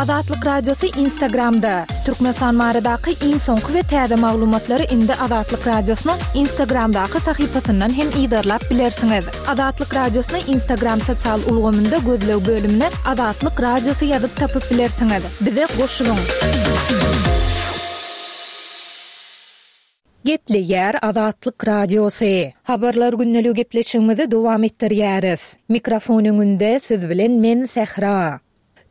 Azatlyk Radiosy Instagramda! Türkmenistan baradaky iň soňky we täze maglumatlary indi Azatlyk Radiosynyň Instagramdaky sahypasyndan hem yzarlap bilersiňiz. Azatlyk Radiosyny Instagram sosial ulgamynda gözleg bölümine Azatlyk Radiosy ýazyp tapyp bilersiňiz. Bize goşulyň! Gepleýär Azatlyk Radiosy. Habarlar gündeligi gepleşigimizi dowam etdirýäris. Mikrofon öňünde siz bilen men Sähra.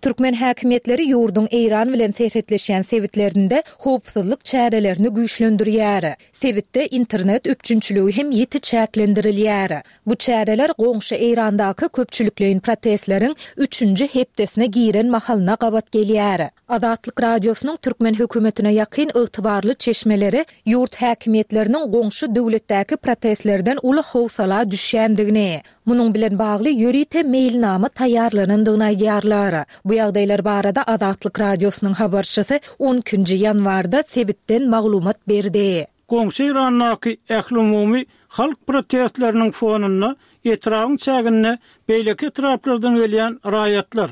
Türkmen häkimiýetleri ýurduň Eýran bilen serhetleşýän sebitlerinde howpsuzlyk çärelerini güýçlendirýär. Sebitde internet üpjünçiligi hem ýiti çäklendirilýär. Bu çäreler goňşy Eýrandaky köpçülikleýin protestleriň üçünji hepdesine giren mahalyna gabat gelýär. Azatlyk Radiosynyň türkmen hökümetine ýakyn ygtybarly çeşmeleri ýurt häkimiýetleriniň goňşy döwletdäki protestlerden uly howsala düşýändigini, munuň bilen bagly ýörite meýilnama taýýarlanandygyny aýdýarlar. Bu ýagdaýlar barada Azatlyk Radiosynyň habarçysy on ikinji ýanwarda sebitden maglumat berdi. Goňşy Eýrandaky ählumumy halk protestleriniň fonunda etrabyň çäginde beýleki etraplardan gelýän raýatlar,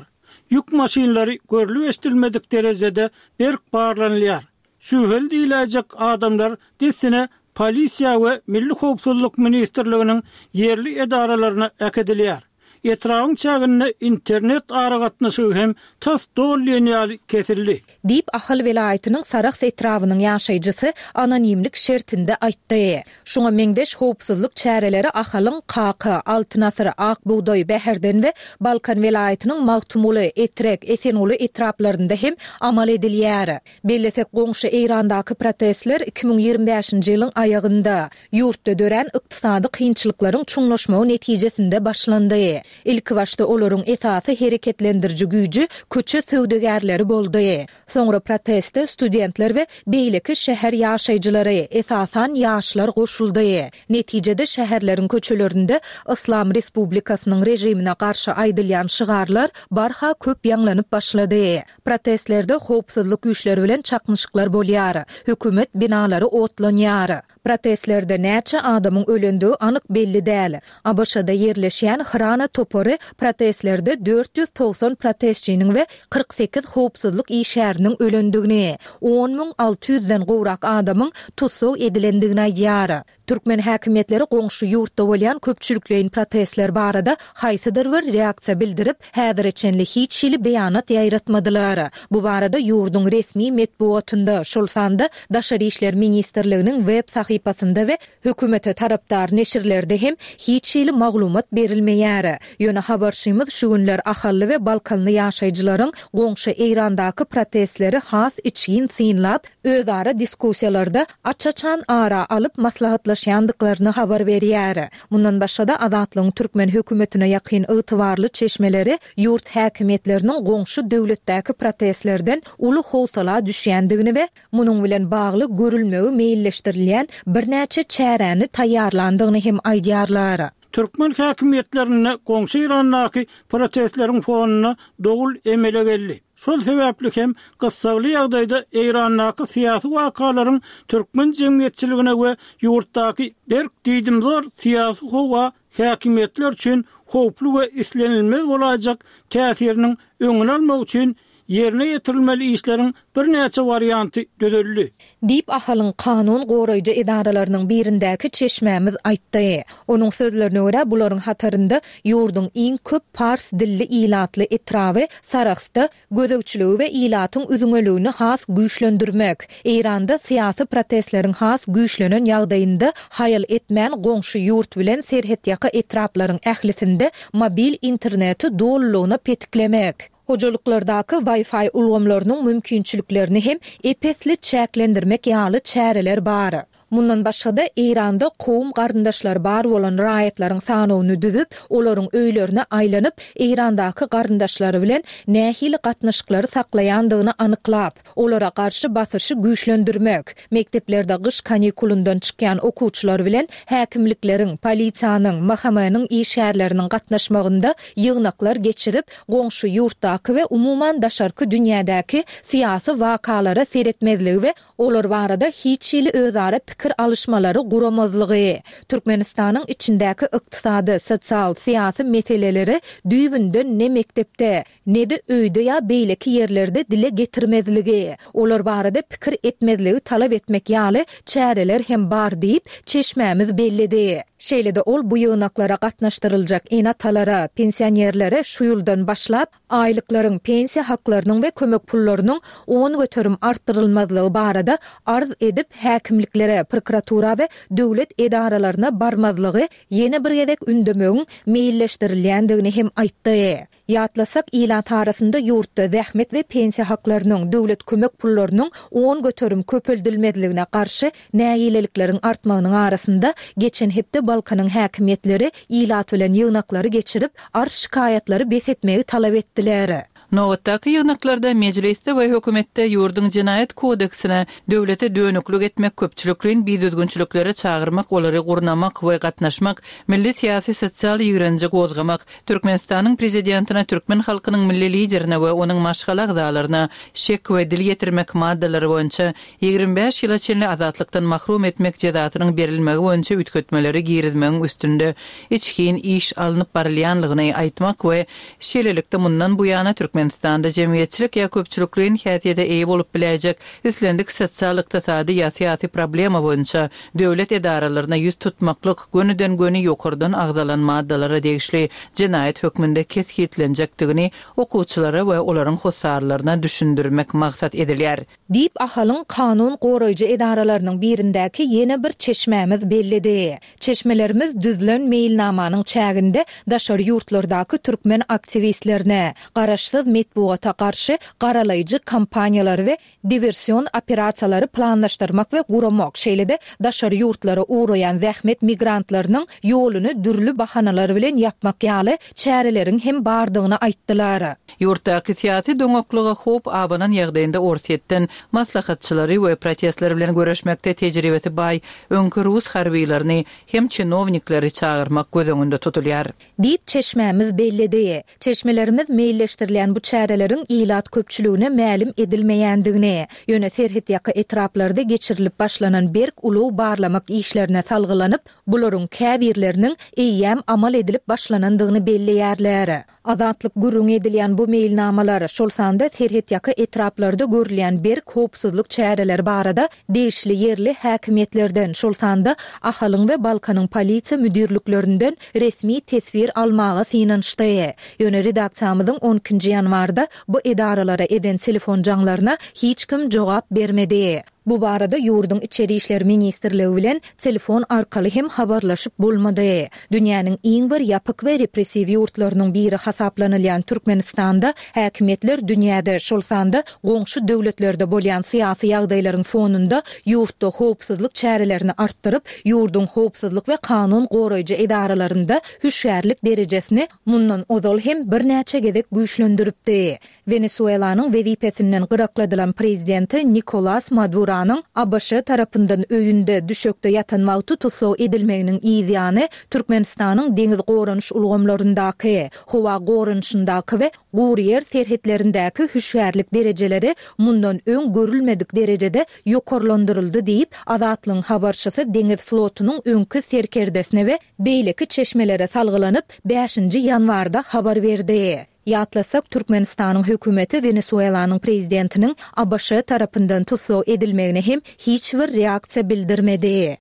ýük maşynlary görlüp-eşidilmedik derejede berk barlanylýar. Şübheli diýiläýjek adamlar dessine polisiýa we Milli howpsuzlyk ministrliginiň ýerli edaralaryna äkidilýär. Etrabyň çäginde internet aragatnaşygy hem tas doly diýen ýaly kesildi. Diýip, Ahal welaýatynyň Sarahs etrabynyň ýaşaýjysy anonimlik şertinde aýtdy. Şuňa meňzeş howpsuzlyk çäreleri Ahalyň Kaka, Altyn asyr, Ak bugdaý, Bäherden we Balkan welaýatynyň Magtymguly, Etrek, Esenguly etraplarynda hem amal edilýär. Bellesek, goňşy Eýrandaky protestler 2025-nji ýylyň aýagynda, ýurtda dörän ykdysady kynçylyklaryň çuňlaşmagy netijesinde başlandy. Ilkibaşda olaryň esasy hereketlendiriji güýji köçe söwdagärleri boldy. Soňra proteste studentler we beýleki şäher ýaşaýjylary, esasan, ýaşlar goşuldy. Netijede şäherleriň köçelerinde Yslam Respublikasynyň režimine garşy aýdylýan şygarlar barha köp ýaňlanyp başlady. Protestlerde howpsuzlyk güýçleri bilen çaknyşyklar bolýar, hökümet binalary otlanýar. Protestlerde näçe adamyň ölendigi anyk belli däl. ABŞ-da ýerleşýän Hrana topary protestlerde 490 protestçiniň we 48 howpsuzlyk işgäriniň ölendigini, 10 600 den gowrak adamyň tussag edilendigini aýdýar. Türkmen häkimiýetleri goňşy ýurtda bolýan köpçülikleýin protestler barada haýsydyr bir reaksiýa bildirip, häzire çenli hiç hili beýanat ýaýratmadylar. Bu barada ýurduň resmi metbugatynda, şol sanda Daşary işler ministrliginiň web sahypasynda we hökümete tarapdar neşirlerde hem hiç hili maglumat berilmeýär. Ýöne habarçymyz şu günler ahally we balkanly ýaşaýjylaryň goňşy Eýrandaky protestleri has içgin synlap, özara diskussiýalarda aç-açan ara alyp maslahatlaşýandyklaryny habar berýär. Mundan başga-da, Azatlygyň türkmen hökümetine ýakyn ygtybarly çeşmeleri ýurt häkimiýetleriniň goňşy döwletdäki protestlerden uly howsala düşýändigini we munuň bilen bagly görülmegi meýilleşdirilýän birnäçe çäräni taýýarlandygyny hem aýdýarlar. Türkmen häkimiýetlerinde goňşy Eýrandaky protestleriň fonunda dowul emele geldi. Şol sebäpli hem gyssagly ýagdaýda Eýrandaky syýasy wakalaryň türkmen jemgyýetçiligine we ýurtdaky berk diýdimzor syýasy howa häkimiýetler üçin howply we islenilmez bolaýjak täsiriniň öňüni almak üçin ýerine ýetirilmeli işleriň birnäçe warianty düzüldi. Diýip, Ahalyň kanun goraýjy edaralarynyň birindäki çeşmämiz aýtdy. Onuň sözlerine görä, bularyň hatarynda ýurduň iň köp pars dilli ilatly etraby Sarahsda gözegçiligi we ilatyň üzňeligini has güýçlendirmek, Eýranda syýasy protestleriň has güýçlenen ýagdaýynda haýal etmän goňşy ýurt bilen serhetýaka etraplaryň ählisinde mobil interneti dolulygyna petiklemek, Hojalyklardaky Wi-Fi ulgamlarynyň mümkinçiliklerini hem ep-esli çäklendirmek ýaly çäreler bar. Mundan başga-da, Eýranda kowum-garyndaşlary bar bolan raýatlaryň sanawyny düzüp, olaryň öýlerine aýlanyp, Eýrandaky garyndaşlary bilen nähili gatnaşyklary saklaýandygyny anyklap, olara garşy basyşy güýçlendirmek, mekdeplerde gyş kanikulyndan çykýan okuwçylar bilen häkimlikleriň, polisiýanyň, MHM-niň işgärleriniň gatnaşmagynda ýygnaklar geçirip, goňşy ýurtdaky we umuman daşarky dünýädäki syýasy wakalara seretmezligi we olar barada hiç hili özara. pikir alyşmalary guramazlygy, Türkmenistanyň içindäki ykdysady, sosial, syýasy meseleleri düýbünden ne mekdepde, ne-de öýde ýa beýleki ýerlerde dile getirmezligi, olar barada pikir etmezligi talap etmek ýaly çäreler hem bar diýip, çeşmämiz belledi. Şeýle-de ol bu ýygnaklara gatnaşdyryljak ene-atalara, pensionerlere şu ýyldan başlap, aýlyklaryň, pensiýa haklarynyň we kömek pullarynyň 10% artdyrylmazlygy barada arz edip, häkimliklere, prokuratura we döwlet edaralaryna barmazlygy ýene bir gezek ündemegiň meýilleşdirilýändigini hem aýtdy. Ýatlasak, ilat arasynda ýurtda zähmet we pensiýa haklarynyň, döwlet kömek pullarynyň 10% köpeldilmezligine garşy nägilelikleriň artmagynyň arasynda, geçen hepde Balkanyň häkimiýetleri ilat bilen ýygnaklary geçirip, arz-şikaýatlary bes etmegi talap etdiler. Nobatdaky ýygnaklarda Mejlisde we hökümetde ýurduň Jenaýat kodeksine döwlete dönüklik etmek, köpçülikleýin bidüzgünçiliklere çagyrmak, olary gurnamak we gatnaşmak, milli syýasy-sosial ýigrenji gozgamak, Türkmenistanyň Prezidentine, türkmen halkynyň Milli Liderine we onuň maşgala agzalaryna şek we dil ýetirmek maddalary boýunça 25 ýyla çenli azatlykdan mahrum etmek jezasynyň berilmegi boýunça üýtgetmeleri girizmegiň üstünde içgin iş alnyp barylýanlygyny aýtmak we şeýlelikde mundan buýana Türkmenistanda jemgyýetçilik ýa köpçülikleýin häsiýete eýe bolup biläýjek islendik sosial-ykdysady ýa syýasy problema boýunça döwlet edaralaryna ýüz tutmaklyk gönüden-göni ýokardan agzalan maddalara degişli jenaýat hökmünde kesgitlenjekdigini okuwçylara we olaryň hossarlaryna düşündirmek maksat edilýär. Diýip, Ahalyň kanun goraýjy edaralarynyň birindäki ýene bir çeşmämiz belledi. Çeşmelerimiz düzlen meýilnamanyň çäginde daşary ýurtlardaky türkmen aktiwistlerine, garaşsyz metbugata garşy garalaýjy kampaniýalary we diwersion operasiýalary planlaşdyrmak we guramak, şeýle-de daşary ýurtlara ugraýan zähmet migrantlarynyň ýoluny dürli bahanalar bilen ýapmak ýaly çäreleriň hem bardygyny aýtdylar. Ýurtdaky syýasy doňaklyga howp abanan ýagdaýynda Orsýetden maslahatçylary we protestler bilen göreşmekde tejribesi baý öňki rus harbylaryny hem çinownikleri çagyrmak göz öňünde tutulýar. Diýip, çeşmämiz belledi. Çeşmelerimiz meýilleşdirilýän bu çäreleriň ilat köpçüligine mälim edilmeýändigini, ýöne serhetýaka etraplarda geçirilip başlanan berk ulag barlamak işlerine salgylanyp, bularyň käbirleriniň eýýäm amal edilip başlanandygyny belleýärler. Azatlyk gürrüňi edilýän bu meýilnamalar, şol sanda serhetýaka etraplarda görülýän berk howpsuzlyk çäreleri barada degişli ýerli häkimiýetlerden, şol sanda Ahalyň we Balkanyň polisiýa müdirliklerinden resmi teswir almaga synanyşdy. Ýöne redaksiýamyzyň on ikinji ýanwarda bu edaralara eden telefon jaňlaryna hiç kim jogap bermedi. Bu barada ýurduň Içeri işler ministrligi bilen telefon arkaly hem habarlaşyp bolmady. Dünýäniň iň bir ýapyk we repressiw ýurtlarynyň biri hasaplanylýan Türkmenistanda häkimiýetler dünýäde, şol sanda goňşy döwletlerde bolýan syýasy ýagdaýlaryň fonunda ýurtda howpsuzlyk çärelerini artdyryp, ýurduň howpsuzlyk we kanun goraýjy edaralarynda hüşgärlik derejesini mundan ozal hem birnäçe gezek güýçlendiripdi. Wenesuelanyň wezipesinden gyrakladylan prezidenti Nikolas Maduranyň ABŞ tarapyndan öýünde, düşekde ýatan wagty tussag edilmeginiň yz ýany, Türkmenistanyň deňiz goranyş ulgamlaryndaky, howa goranyşyndaky we gury ýer serhetlerindäki hüşgärlik derejeleri mundan öň görülmedik derejede ýokarlandyryldy diýip, Azatlygyň habarçysy deňiz flotunyň öňki serkerdesine we beýleki çeşmelere salgylanyp, bäşinji ýanwarda habar berdi. Ýatlasak, Türkmenistanyň hökümeti Wenesuelanyň prezidentiniň ABŞ tarapyndan tussag edilmegine hem hiç bir reaksiýa bildirmedi.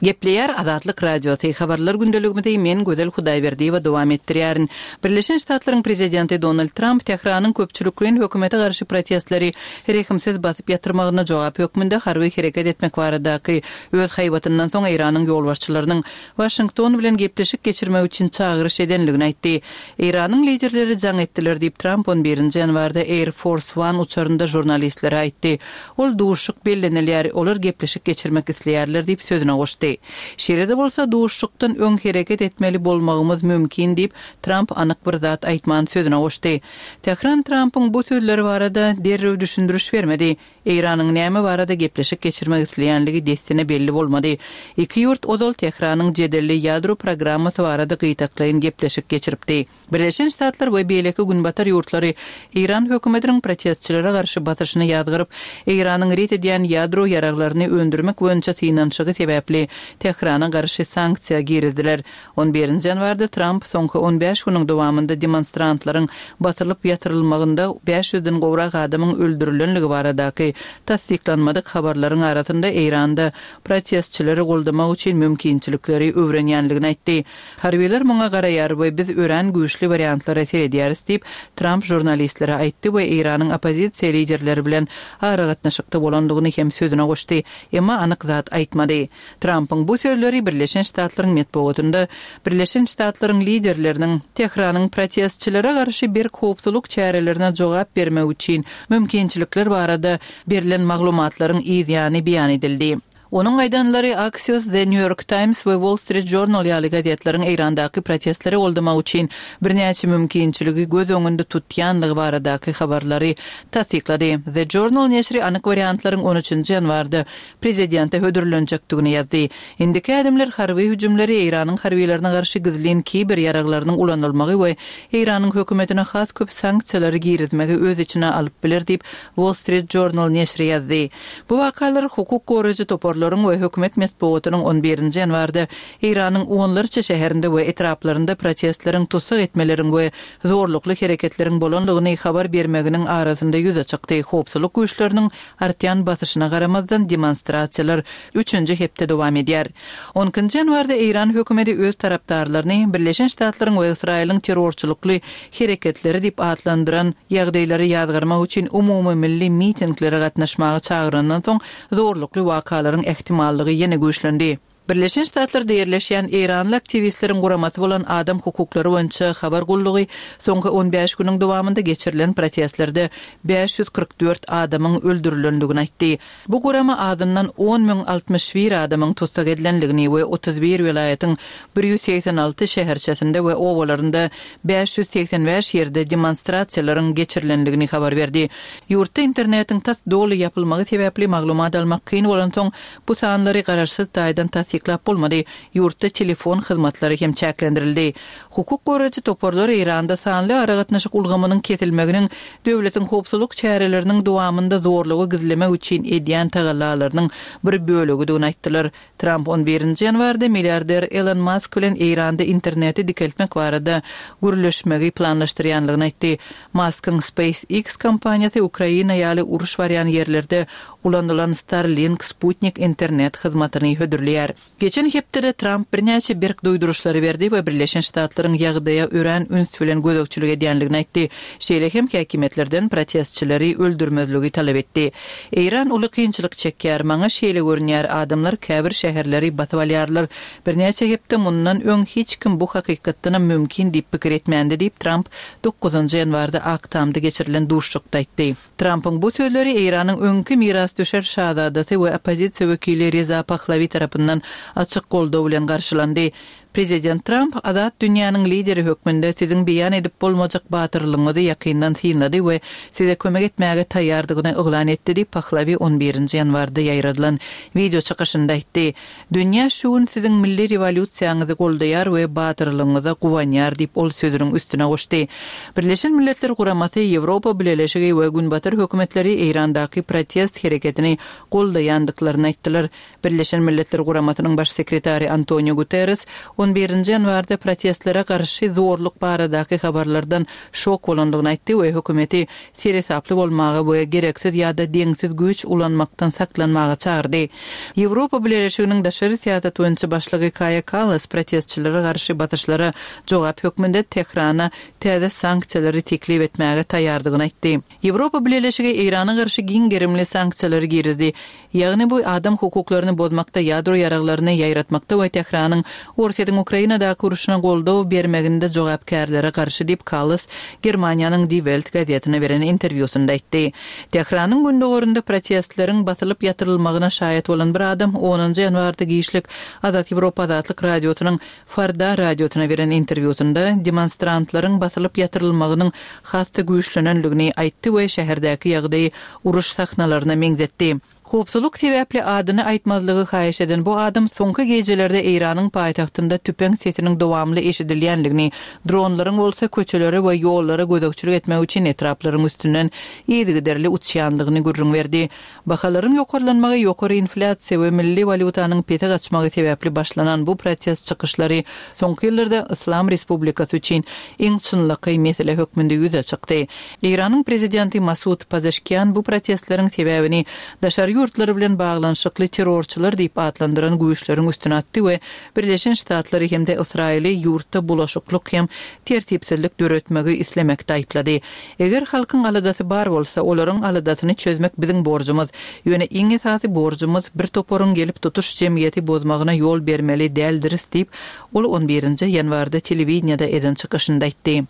Gepleýär Azatlyk Radiosy, Habarlar gündeligimizi men Gözel Hudaýberdiýewa dowam etdirýärin. Birleşen Ştatlaryň Prezidenti Donald Tramp Tähranyň köpçülikleýin hökümete garşy protestleri rehimsiz basyp ýatyrmagyna jogap hökmünde harby hereket etmek baradaky öz haýbatyndan soň Eýranyň ýolbaşçylarynyň Waşington bilen gepleşik geçirmek üçin çagyryş edendigini aýtdy. Eýranyň liderleri jaň etdiler diýip, Tramp on birinji ýanwarda Air Force One uçarynda žurnalistlere aýtdy. Ol duşuşyk bellenilýär, olar gepleşik geçirmek isleýärler diýip, sözüne goşdy. goşdy. Şeýle-de bolsa, duşuşykdan öň hereket etmeli bolmagymyz mümkin diýip, Tramp anyk bir zat aýtman sözüne goşdy. Tähran Trampyň bu sözleri barada derrew düşündiriş bermedi. Eýranyň näme barada gepleşik geçirmek isleýänligi dessine belli bolmady. Iki ýurt ozal Tähranyň jedelli ýadro programmasy barada gytaklaýyn gepleşik geçiripdi. Birleşen Ştatlar we beýleki günbatar ýurtlary Eýran hökümetiniň protestçilere garşy basyşyny ýazgaryp, Eýranyň ret edýän ýadro ýaraglaryny öndürmek boýunça synanyşygy sebäpli Tährana garşy sanksiýa girizdiler. On birinji ýanwarda Tramp soňky on bäş günüň dowamynda demonstrantlaryň basylyp ýatyrylmagynda bäş ýüzden gowrak adamyň öldürilenligi baradaky tassyklanmadyk habarlaryň arasynda Eýranda protestçileri goldamak üçin mümkinçilikleri öwrenýänligini aýtdy. Harbylar muňa garaýar we biz örän güýçli wariantlara seredýäris diýip, Tramp žurnalistlere aýtdy we Eýranyň oppozisiýa liderleri bilen aragatnaşykda bolandygyny hem sözüne goşdy, emma anyk zat aýtmady. Trampyň bu sözleri Birleşen Ştatlaryň metbugatynda Birleşen Ştatlaryň liderleriniň Tähranyň protestçilere garşy berk howpsuzlyk çärelerine jogap bermek üçin mümkinçilikler barada berlen maglumatlaryň yzýany beýan edildi. Onuň aýdanlary Axios, The New York Times we Wall Street Journal ýaly gazetleriň Eýrandaky protestleri goldamak üçin birnäçe mümkinçiligi göz öňünde tutýanlygy baradaky habarlary tassyklady. The Journal neşiri anyk wariantlaryň on üçünji ýanwarda prezidente hödürlenjekdigini ýazdy. Indiki ädimler harby hüjümleri, Eýranyň harbylaryna garşy gizlin kiber ýaraglarynyň ulanylmagy we Eýranyň hökümetine has köp sanksiýalary girizmegi öz içine alyp biler diýip, Wall Street Journal neşiri ýazdy. Bu wakalar hukuk goraýjy toparlaryň we hökümet metbugatynyň on birinji ýanwarda Eýranyň onlarça şäherinde we etraplarynda protestleriň, tussag etmeleriň we zorlukly hereketleriň bolandygyny habar bermeginiň arasynda ýüze çykdy. Howpsuzlyk güýçleriniň artýan basyşyna garamazdan, demonstrasiýalar üçünji hepde dowam edýär. On ikinji ýanwarda Eýran hökümeti öz tarapdarlaryny Birleşen Ştatlaryň we Ysraýylyň terrorçylykly hereketleri diýip atlandyran ýagdaýlary ýazgarmak üçin umumymilli mitinglere gatnaşmaga çagyrandan soň zorlukly wakalaryň ähtimallygy ýene güýçlendi. Birleşen Ştatlarda ýerleşýän eýranly aktiwistleriň guramasy bolan Adam hukuklary boýunça habar gullugy soňky on bäş günüň dowamynda geçirilen protestlerde 544 adamyň öldürilendigini aýtdy. Bu gurama azyndan 10 061 adamyň tussag edilendigini we 31 welaýatyň 186 şäherçesinde we obalarynda 585 ýerde demonstrasiýalaryň geçirilendigini habar berdi. Ýurtda internetiň tas doly ýapylmagy sebäpli maglumat almak kyn bolansoň, bu sanlary garaşsyz taýdan tassyklap bolmady. Ýurtda telefon hyzmatlary hem çäklendirildi. Hukuk goraýjy toparlar Eýranda sanly aragatnaşyk ulgamynyň kesilmeginiň döwletiň howpsuzlyk çäreleriniň dowamynda zorlugy gizlemek üçin edýän tagallalarynyň bir bölegidigini aýtdylar. Tramp on birinji ýanwarda milliarder Elon Mask bilen Eýranda interneti dikeltmek barada gürleşmegi planlaşdyrýanlygyny aýtdy. Maskyň SpaceX kompaniýasy Ukraina ýaly uruş barýan ýerlerde ulanylan Starlink sputnik internet hyzmatyny hödürleýär. Geçen hepdede Tramp birnäçe berk duýduryşlary berdi we Birleşen Ştatlaryň ýagdaýa örän üns bilen gözegçilik edýänligini aýtdy. Şeýle hem häkimiýetlerden protestçileri öldürmezligi talap etdi. Eýran uly kynçylyk çekýär. Maňa şeýle görünýär, adamlar käbir şäherleri basyp alýarlar. Birnäçe hepde mundan öň hiç kim bu hakykatdanam mümkin diýip pikir etmändi diýip, Tramp dokuzynjy ýanwarda Ak Tamda geçirilen duşuşykda aýtdy. Trampyň bu sözleri Eýranyň öňki mirasdüşer şazadasy we oppozisiýa wekili Reza Pahlawi tarapyndan açyk goldaw bilen garşylandy. Prezident Tramp azat dünýäniň lideri hökmünde siziň beýan edip bolmajak batyrlygyňyzy ýakyndan synlady we size kömek etmäge taýýardygyny yglan etdi diýip, Pahlawi on birinji ýanwarda ýaýradylan wideo çykyşynda aýtdy. Dünýä şu gün siziň milli rewolýusiýaňyzy goldaýar we batyrlygyňyza guwanýar diýip, ol sözüniň üstüne goşdy. Birleşen Milletler Guramasy, Ýewropa Bileleşigi we Günbatar hökümetleri Eýrandaky protest hereketini goldaýandyklaryny aýtdylar. Birleşen Milletler Guramasynyň Baş sekretary Antonio Guterres on birinji ýanwarda protestlere garşy zorluk baradaky habarlardan şok bolandygyny aýtdy we hökümeti seresaply bolmaga we gereksiz ýa-da deňsiz güýç ulanmakdan saklanmaga çagyrdy. Ýewropa Bileleşiginiň daşary syýasat boýunça başlygy Kaýa Kallas protestçilere garşy basyşlara jogap hökmünde Tährana täze sanksiýalary teklip etmäge taýýardygyny aýtdy. Ýewropa Bileleşigi Eýrana garşy giň gerimli sanksiýalary girizdi. Ýagny bu adam hukuklaryny bozmakda, ýadro ýaraglaryny ýaýratmakda we Tähranyň Orsýetiň. Orsýetiň Ukrainadaky urşuna goldaw bermeginde jogapkärlere garşy diýip, Kallas Germaniýanyň Die Welt gazetine beren interwýusynda aýtdy. Tähranyň gündogarynda protestleriň basylyp ýatyrylmagyna şaýat bolan bir adam onunjy ýanwarda giçlik Azat Ýewropa Azatlyk Radiosynyň Farda radiosyna beren interwýusynda demonstrantlaryň basylyp ýatyrylmagynyň has-da güýçlenendigini aýtdy we şäherdäki ýagdaýy uruş sahnalaryna meňzetdi. Howpsuzlyk sebäpli adyny aýtmazlygy haýyş eden bu adam soňky gijelerde Eýranyň paýtagtynda tüpeň sesiniň dowamly eşidilýändigini, dronlaryň bolsa köçelere we ýollara gözegçilik etmek üçin etraplaryň üstünden yzygiderli uçýandygyny gürrüň berdi. Bahalaryň ýokarlanmagy ýokary inflýasiýa we milli walýutanyň pese gaçmagy sebäpli başlanan bu protest çykyşlary soňky ýyllarda Yslam Respublikasy üçin iň çynlakaý mesele hökmünde ýüze çykdy. Eýranyň prezidenti Masud Pazeşkian bu protestleriň sebäbini daşary ýurtlar bilen baglanyşykly terrorçylar diýip atlandyran güýçleriň üstüne atdy we Birleşen Ştatlary hem-de Ysraýyly ýurtda bulaşyklyk hem tertipsizlik döretmegi islemekde aýyplady. Eger halkyň aladasy bar bolsa, olaryň aladasyny çözmek biziň borjumyz. Ýöne iň esasy borjumyz bir toparyň gelip tutuş jemgyýeti bozmagyna ýol bermeli däldiris diýip, ol on birinji ýanwarda telewideniýede eden çykyşynda aýtdy.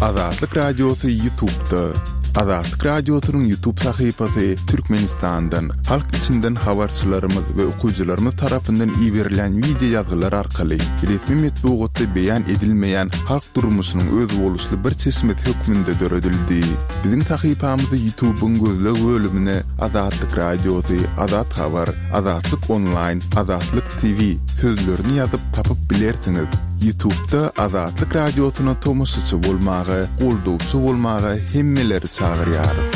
Azatlyk Radiosy Ýutubda. Azatlyk Radiosynyň Ýutub sahypasy Türkmenistandan, halk içinden habarçylarymyz we okyjylarymyz tarapyndan iberilýän wideo ýazgylar arkaly resmi metbugatda beýan edilmeýän halk durmuşynyň özboluşly bir çeşmesi hökmünde döredildi. Biziň sahypamyzy Ýutubyň gözleg bölümine Azatlyk Radiosy, Azat Habar, Azatlyk Onlaýn, Azatlyk TV sözlerini ýazyp tapyp bilersiňiz. Ýutubda Azatlyk Radiosyna tomaşaçy bolmaga, goldawçy bolmaga hemmeleri çagyrýarys.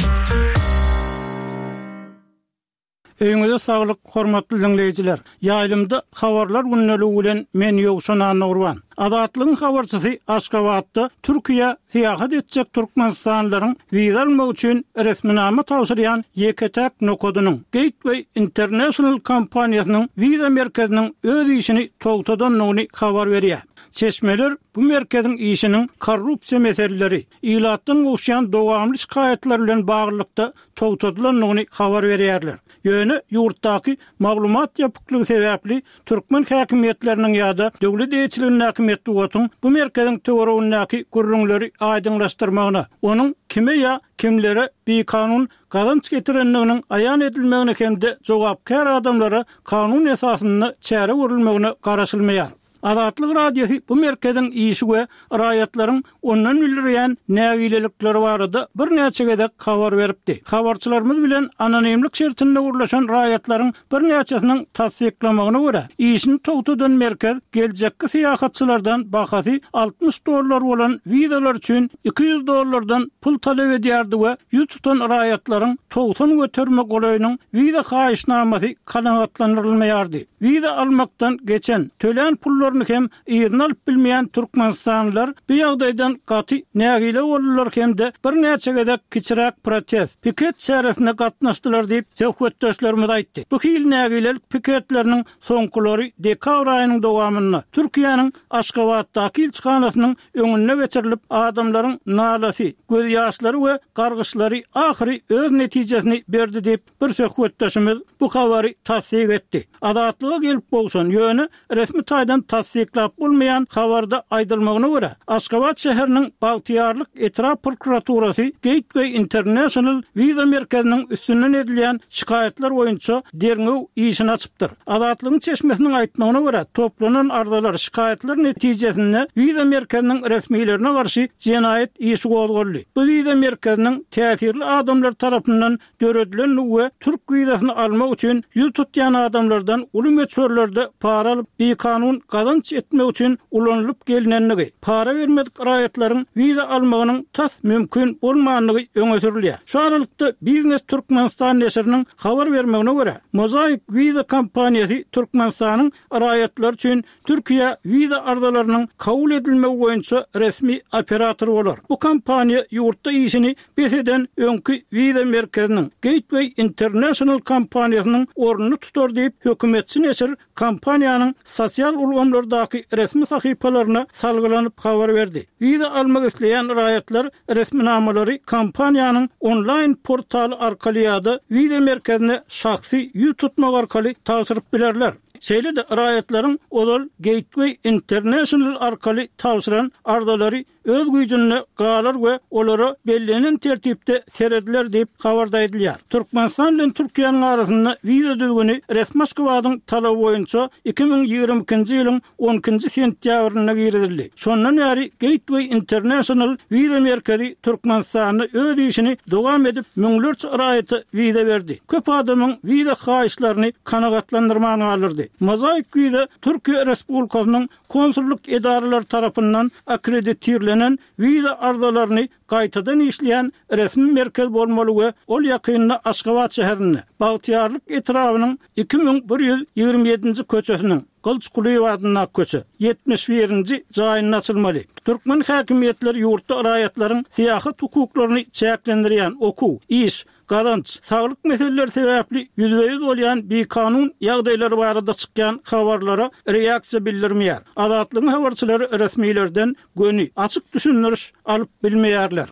Öýüňize saglyk hormatly diňleýjiler! Ýaýlymda Habarlar gündeligi bilen men Ýowşan Annagurban. Azatlygyň habarçysy Aşgabatda Türkiýä syýahat etjek türkmenistanlylaryň wiza almak üçin resminama tabşyrýan ýeke-täk nokadynyň, Gateway International kompaniýasynyň wiza merkeziniň öz işini togtadandygyny habar berýär. Çeşmeler bu merkeziň işiniň korrupsiýa meseleleri, ilatdan gowuşýan dowamly şikaýatlar bilen baglylykda togtadylandygyny habar berýärler. Ýöne ýurtdaky maglumat ýapyklygy sebäpli türkmen häkimiýetleriniň ýa-da döwlet eýeçiligindäki metbugatyň bu merkeziň töweregindäki gürrüňleri aýdyňlaşdyrmagyna, onuň kime ýa kimlere bikanun gazanç getirendiginiň aýan edilmegine hem-de jogapkär adamlara kanun esasynda çäre görülmegine garaşylmaýar. Azatlyk Radiosy bu merkeziň işi we raýatlaryň ondan bildirýän nägilelikleri barada birnäçe gezek habar beripdi. Habarçylarymyz bilen anonimlik şertinde gürleşen raýatlaryň birnäçesiniň tassyklamagyna görä, işini togtadan merkez geljekki syýahatçylardan bahasy 60 dollar bolan wizalar üçin 200 dollardan pul talap edýärdi we ýüz tutan raýatlaryň 90 göterime golaýynyň wiza haýyşnamasy kanagatlandyrylmaýardy. Wiza almakdan geçen, tölän pullaryny hem yzyna alyp bilmeýän türkmenistanlylar bu ýagdaýdan gaty nägile boldular hem-de birnäçe gezek kiçiräk protest, piket çäresine gatnaşdylar diýip, söhbetdeşlerimiz aýtdy. Bu hili nägilelik piketleriniň soňkulary dekabr aýynyň dowamynda Türkiýäniň Aşgabatdaky ilçihanasynyň öňünde geçirilip, adamlaryň nalasy, gözýaşlary we gargyşlary ahyry öz netijesini berdi diýip, Bir söhbetdeşimiz bu habary tassyk etdi. Azatlyga gelip gowşan, ýöne resmi taýdan tassyklap bolmaýan habarda aýdylmagyna görä, Aşgabat şäheriniň Bagtyýarlyk etrap prokuraturasy Gateway International wiza merkeziniň üstünden edilýän şikaýatlar boýunça derňew işini açypdyr. Azatlygyň çeşmesiniň aýtmagyna görä, toplanan arzalar, şikaýatlar netijesinde wiza merkeziniň resmilerine garşy jenaýat işi gozgaldy. Bu wiza merkeziniň täsirli adamlar tarapyndan döredilendigi we türk wizasyny almak üçin ýüz tutýan adamlardan uly möçberlerde para alyp, bikanun gazanç etmek üçin ulanylyp gelinendigi, para bermedik raýatlaryň wiza almagynyň tas mümkin bolmandygy öňe sürülýär. Şu aralykda, Biznes Türkmenistan neşiriniň habar bermegine görä, Mozaik wiza kompaniýasy Türkmenistanyň raýatlary üçin Türkiýä wiza arzalarynyň kabul edilmegi boýunça resmi operator bolar. Bu kompaniýa ýurtda işini bes eden öňki wiza merkeziniň, Gateway International kompaniýasynyň ornuny tutar diýip, hökümetçi neşir kompaniýanyň sosial ulgamlardaky. ulgamlardaky resmi sahypalaryna salgylanyp habar berdi. Wiza almak isleýän raýatlar resminamalary kompaniýanyň onlaýn portaly arkaly ýa-da wiza merkezine şahsy ýüz tutmak arkaly tabşyryp bilerler. Şeýle-de raýatlaryň ozal Gateway International arkaly tabşyran arzalary öz güýjünde galar we olara bellenen tertipde serediler diýip, habarda aýdylýar. Türkmenistan bilen Türkiýäniň arasynda wiza düzgüni resmi Aşgabadyň talaby boýunça 2022-nji ýylyň on ikinji sentýabrynda girizildi. Şondan bäri Gateway International wiza merkezi Türkmenistanda öz işini dowam edip, müňlerçe raýata wiza berdi. Köp adamyň wiza haýyşlaryny kanagatlandyrman galdyrdy. Mozaik wiza Türkiýe Respublikasynyň konsullyk edaralary tarapyndan akkreditirlenen wiza arzalaryny gaýtadan işleýän resmi merkez bolmaly we ol ýakynda Aşgabat şäherinde, Bagtyýarlyk etrabynyň 2127-nji köçesiniň, Gylyç Kulyýew adyndaky köçe, 71-nji jaýynda açylmaly. Türkmen häkimiýetleri ýurtda raýatlaryň syýahat hukuklaryny çäklendirýän okuw, iş, gazanç, saglyk meseleleri sebäpli ýüzbe-ýüz bolýan bikanun ýagdaýlar barada çykýan habarlara reaksiýa bildirmeýär. Azatlygyň habarçylary resmilerden göni, açyk düşündiriş alyp bilmeýärler.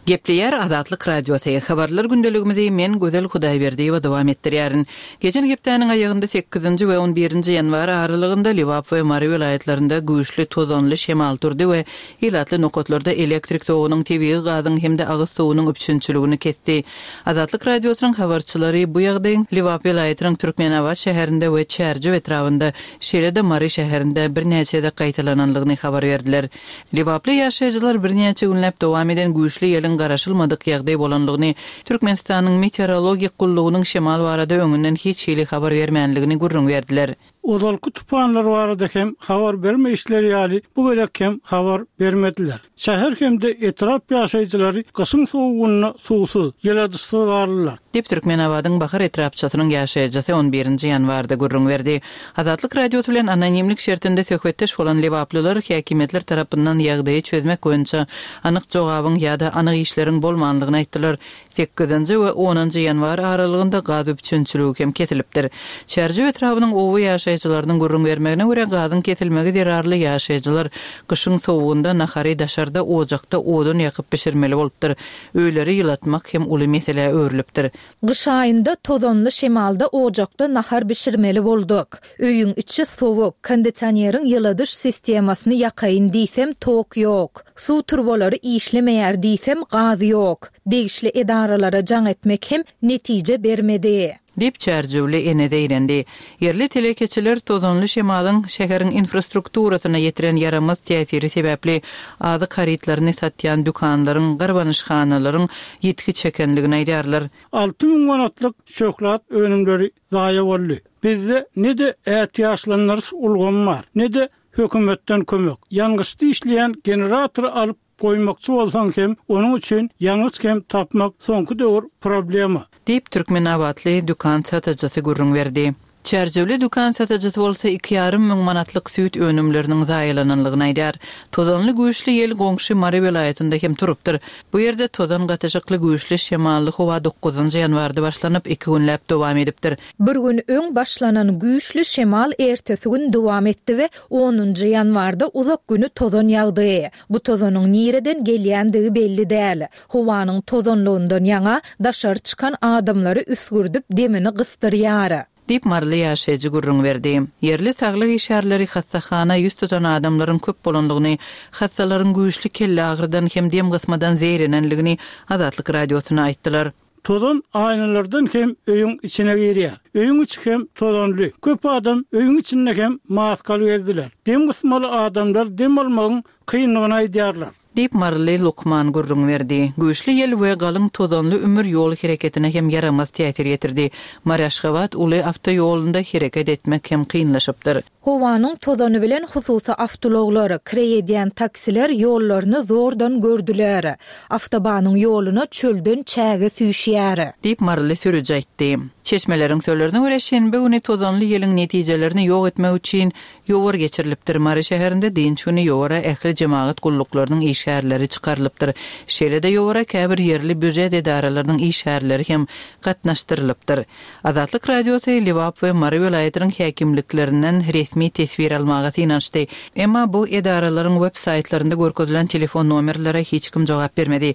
Gepleýär Azatlyk Radiosy. Habarlar gündeligimizi men Gözel Hudaýberdiýewa dowam etdirýärin. Geçen hepdäniň aýagynda sekizinji we on birinji ýanwar aralygynda Lebap we Mary welaýatlarynda güýçli tozanly şemal turdy we ilatly nokatlarda elektrik togunyň, tebigy gazyň hem-de agyz suwunyň üpjünçiligini kesdi. Azatlyk Radiosynyň habarçylary bu ýagdaýyň Lebap welaýatynyň Türkmenabat şäherinde we Çärjew etrabynda, şeýle-de Mary şäherinde birnäçe gezek gaýtalananlygyny habar berdiler. Lebaply ýaşaýjylar birnäçe günläp dowam eden güýçli ýeliň garaşylmadyk ýagdaý bolanlygyny, Türkmenistanyň Meteorologik gullugynyň şemal barada öňünden hiç hili habar bermänligini gürrüň berdiler. Ozalky tupanlar barada hem habar bermeýişleri ýaly, bu gezek hem habar bermediler. Şäher hem-de etrap ýaşaýjylary gyşyň sowugynda suwsuz, ýyladyşsyz galdylar. Diýip, Türkmenabadyň Bahar etrapçasynyň ýaşaýjysy on birinji ýanwarda gürrüň berdi. Azatlyk Radiosy bilen anonimlik şertinde söhbetdeş bolan lebaplylar häkimiýetler tarapyndan ýagdaýy çözmek boýunça anyk jogabyň ýa-da anyk işleriň bolmanlygyny aýtdylar. Sekizinji we onunjy ýanwar aralygynda gaz üpjünçiligi hem kesilipdir. Çärjew etrabynyň oba ýaşaýjylarynyň gürrüň bermegine görä, gazyň kesilmegi zerarly ýaşaýjylar gyşyň sowugynda nahary daşarda ojakda odun ýakyp bişirmeli bolupdyr. Öýleri ýylatmak hem uly meselä öwrülipdir. Gyş aýynda tozanly şemalda ojakda nahar bişirmeli bolduk. Öýüň içi sowuk, kondisioneriň ýyladyş sistemasyny ýakaýyn diýsem tok ýok. Suw turbalary işlemeýär diýsem gaz ýok. Degişli edaralara jaň etmek hem netije bermedi. Diýip, çärjewli ene zeýrendi. Ýerli telekeçiler tozanly şemalyň şäheriň infrastrukturasyna ýetiren ýaramaz täsiri sebäpli azyk harytlaryny satýan dükanlaryň, garbanyşhanalaryň ýitgi çekenligini aýdýarlar. 6000 manatlyk şöhlat önümleri zaýa boldy. Bizde ne-de ätiýaçlandyryş ulgamy bar, ne-de hökümetden kömek. Ýangyçda işleýän generatory alyp goýmakçy bolsaň hem, onuň üçin ýangyç hem tapmak soňky döwür problema. Diýip, türkmenabatly dükan satyjysy gürrüň berdi. Çärjewli dükan satyjysy bolsa iki ýarym müň manatlyk süýt önümleriniň zaýalananlygyny aýdýar. Tozanly güýçli ýel goňşy Mary welaýatynda hem turupdyr. Bu ýerde tozan gatyşykly güýçli şemally howa dokuzynjy ýanwarda başlanyp, iki günläp dowam edipdir. Bir gün öň başlanan güýçli şemal ertesi gün dowam etdi we onunjy ýanwarda uzak güni tozan ýagdy. Bu tozanyň nireden gelýändigi belli däl. Howanyň tozanlygyndan ýaňa daşary çykan adamlary üsgürdip demini gysdyrýar. Diýip, maryly ýaşaýjy gürrüň berdi. Ýerli saglyk işgärleri hassahana ýüz tutan adamlaryň köp bolandygyny, hassalaryň güýçli kelleagyrydan hem dem gysmadan zeýrenenligini Azatlyk Radiosyna aýtdylar. Tozan aýnalardan hem öýüň içine girýär. Öýüň içi hem tozanly. Köp adam öýüň içinde hem maskaly gezdiler. Dem gysmaly adamlar dem almagyň kyndygyny aýdýarlar. Diýip, maryly lukman gürrüň berdi. Güýçli ýel we galyň tozanly ümür ýol hereketine hem ýaramaz täsir ýetirdi. Mary-Aşgabat uly awtoýolunda hereket etmek hem kynlaşypdyr. Howanyň tozany bilen hususy awtoulaglar, kireý edýän taksiler ýollaryny zordan gördüler. Awtobanyň ýoluna çölden çäge süýşýär. Diýip, maryly sürüji aýtdy. Çeşmeleriň sözlerine görä, şenbe güni tozanly ýeliň netijelerini ýok etmek üçin ýowar geçirilipdir. Mary şäherinde dynç güni ýowara ähli jemagat gulluklarynyň işgärleri çykarylypdyr. Şeýle-de ýowara käbir ýerli býujet edaralarynyň işgärleri hem gatnaşdyrylypdyr. Azatlyk Radiosy Lebap we Mary welaýatynyň häkimliklerinden resmi teswir almaga synanyşdy. Emma bu edaralaryň web saýtlarynda görkezilen telefon nomerlere hiç kim jogap bermedi.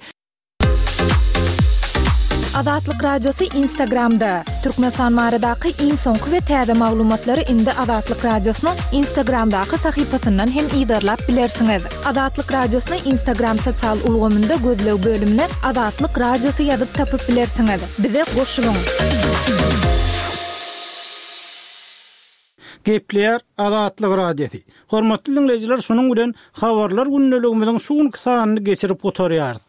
Azatlyk Radiosy Instagramda, Türkmenistan baradaky iň soňky we täze maglumatlary indi Azatlyk Radiosynyň Instagramdaky sahypasyndan hem yzarlap bilersiňiz. Azatlyk Radiosyny Instagram sosial ulgamynda gözleg bölümine Azatlyk Radiosy ýazyp tapyp bilersiňiz. Bize goşulyň! Gepleýär Azatlyk Radiosy. Hormatly diňleýjiler şunuň bilen Habarlar gündeligimiziň şu günki sanyny geçirip gutarýarys.